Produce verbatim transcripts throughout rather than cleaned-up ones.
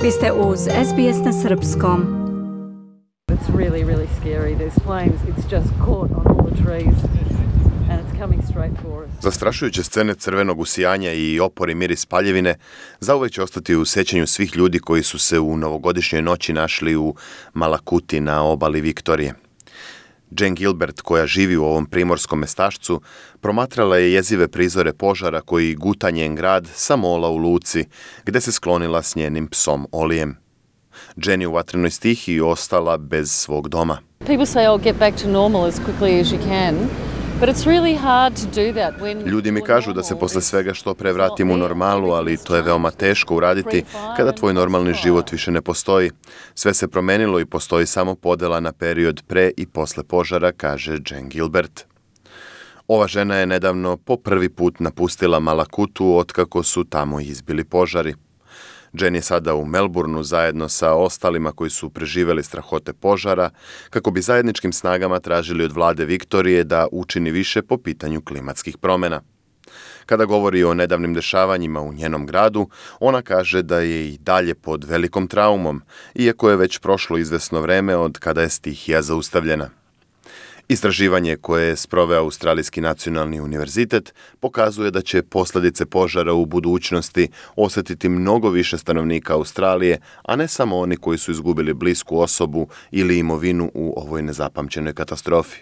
Vi ste uz S B S na srpskom. It's really, really scary. There's flames. It's just caught on all the trees and it's coming straight for us. Zastrašujuće scene crvenog usijanja i opori miris paljevine zauvek će ostati u sećanju svih ljudi koji su se u novogodišnjoj noći našli u Malakuti na obali Viktorije. Jane Gilbert, koja živi u ovom primorskom mestašcu, promatrala je jezive prizore požara koji guta njen grad sa mola u luci, gde se sklonila s njenim psom Olijem. Jane je u vatrenoj stihiji ostala bez svog doma. People say, oh, get back to normal as quickly as you can. But it's really hard to do that when Ljudi mi kažu da se posle svega što pre vratim u normalu, ali to je veoma teško uraditi kada tvoj normalni život više ne postoji. Sve se promenilo i postoji samo podela na period pre i posle požara, kaže Jane Gilbert. Ova žena je nedavno po prvi put napustila Malakutu otkako su tamo izbili požari. Jane je sada u Melbourneu zajedno sa ostalima koji su preživeli strahote požara, kako bi zajedničkim snagama tražili od vlade Viktorije da učini više po pitanju klimatskih promjena. Kada govori o nedavnim dešavanjima u njenom gradu, ona kaže da je i dalje pod velikom traumom, iako je već prošlo izvesno vreme od kada je stihija zaustavljena. Istraživanje koje je sproveo Australijski nacionalni univerzitet pokazuje da će posljedice požara u budućnosti osjetiti mnogo više stanovnika Australije, a ne samo oni koji su izgubili blisku osobu ili imovinu u ovoj nezapamćenoj katastrofi.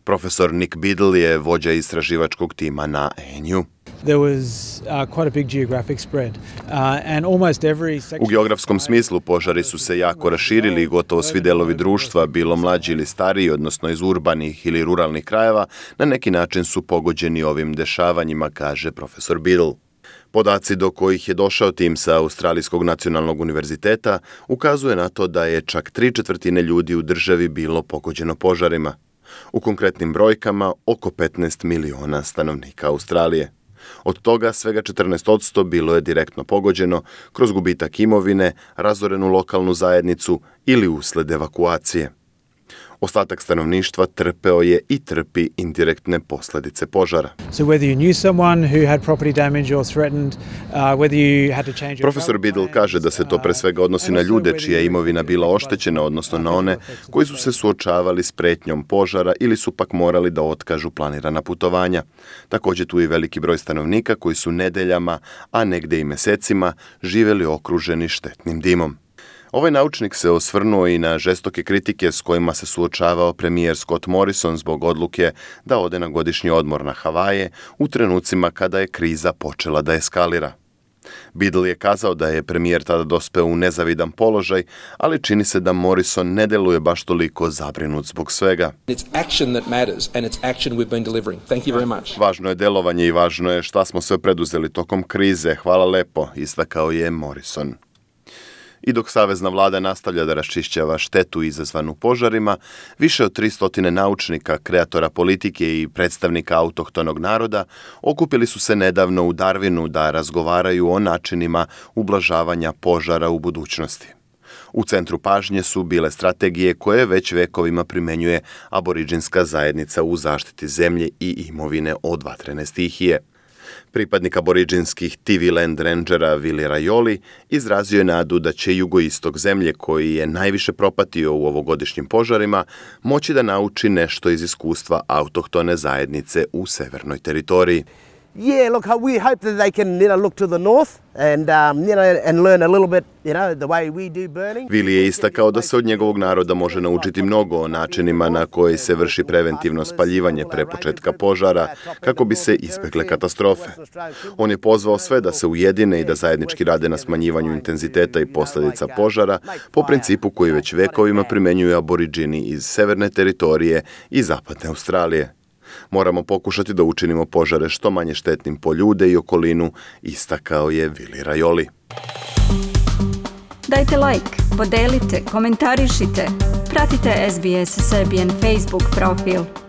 Profesor Nick Biddle je vođa istraživačkog tima na A N U. There was uh, quite a big geographic spread, uh, and almost every section... U geografskom smislu požari su se jako raširili i gotovo svi delovi društva, bilo mlađi ili stariji, odnosno iz urbanih ili ruralnih krajeva, na neki način su pogođeni ovim dešavanjima, kaže profesor Biddle. Podaci do kojih je došao tim sa Australijskog nacionalnog univerziteta ukazuje na to da je čak tri četvrtine ljudi u državi bilo pogođeno požarima. U konkretnim brojkama oko petnaest miliona stanovnika Australije. Od toga svega četrnaest posto bilo je direktno pogođeno kroz gubitak imovine, razorenu lokalnu zajednicu ili usled evakuacije. Ostatak stanovništva trpeo je i trpi indirektne posljedice požara. So whether you knew someone who had property damage or threatened, uh, whether you had to change your Profesor Biddle kaže da se to pre svega odnosi na ljude čija je imovina bila oštećena, odnosno na one koji su se suočavali s pretnjom požara ili su pak morali da otkažu planirana putovanja. Također tu je veliki broj stanovnika koji su nedeljama, a negde i mesecima, živjeli okruženi štetnim dimom. Ovaj naučnik se osvrnuo i na žestoke kritike s kojima se suočavao premijer Scott Morrison zbog odluke da ode na godišnji odmor na Havaje u trenucima kada je kriza počela da eskalira. Biddle je kazao da je premijer tada dospeo u nezavidan položaj, ali čini se da Morrison ne deluje baš toliko zabrinut zbog svega. It's action that matters and it's action we've been delivering. Thank you very much. Važno je delovanje i važno je šta smo sve preduzeli tokom krize. Hvala lepo, istakao je Morrison. I dok savezna vlada nastavlja da raščišćava štetu izazvanu požarima, više od tristo naučnika, kreatora politike i predstavnika autohtonog naroda okupili su se nedavno u Darwinu da razgovaraju o načinima ublažavanja požara u budućnosti. U centru pažnje su bile strategije koje već vekovima primenjuje aboriđinska zajednica u zaštiti zemlje i imovine od vatrene stihije. Pripadnik aboriđinskih T V Land Rangera Vili Rajoli izrazio je nadu da će jugoistok zemlje, koji je najviše propatio u ovogodišnjim požarima, moći da nauči nešto iz iskustva autohtone zajednice u severnoj teritoriji. Yeah, look, we hope that they can, you know, look to the north and, um, you know, and learn a little bit, you know, the way we do burning. Vili je istakao da se od njegovog naroda može naučiti mnogo o načinima na koji se vrši preventivno spaljivanje pre početka požara, kako bi se izbegle katastrofe. On je pozvao sve da se ujedine i da zajednički rade na smanjivanju intenziteta i posljedica požara po principu koji već vekovima primenjuju aboriđini iz severne teritorije i zapadne Australije. Moramo pokušati da učinimo požare što manje štetnim po ljude i okolinu, istakao je Vili Rajoli. Dajte like, podelite, komentarišite, pratite S B S Serbian Facebook profil.